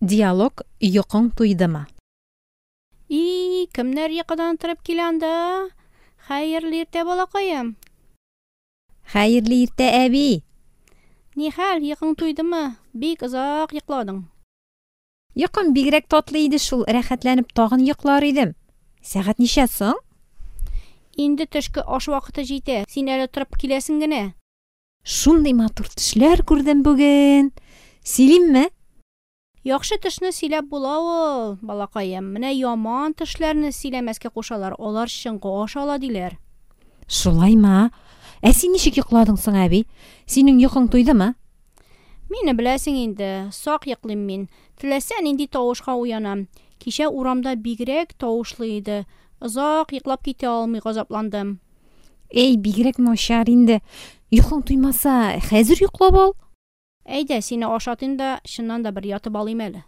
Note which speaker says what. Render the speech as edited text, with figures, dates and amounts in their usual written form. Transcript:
Speaker 1: Диалог Йокың туйдымы?
Speaker 2: И, кемнәр йокыдан торып килә анда? Хәерле иртә, балакаем.
Speaker 1: Хәерле иртә, әби.
Speaker 2: Нихәл, йокың туйдымы? Бик озак йокладың.
Speaker 1: Йокым бигрәк татлы иде шул, рәхәтләнеп тагын йоклар идем. Сәгать ничә соң?
Speaker 2: Инде төшке аш вакыты җитә, син әле торып киләсең генә.
Speaker 1: Шундый матур төшләр күрдем бүген. Сөйлимме?
Speaker 2: Яхшы төшне сөйләп була ул, балакаем. Менә яман төшләрне сөйләмәскә кушалар, алар чынга аша ала диләр.
Speaker 1: Шулаймы? Ә син ничек йокладың соң, әби? Синең йокың туйдымы?
Speaker 2: Мине беләсең инде, сак йоклыйм мин. Теләсә нинди тавышка уянам. Кичә урамда бигрәк тавышлы иде. Озак йоклап китә алмый газапландым.
Speaker 1: Әй, бигрәк начар инде. Йокың туймаса, хәзер йоклап ал.
Speaker 2: Әйдә, сине ашатыйм да, чыннан да бер ятып алыйм әле.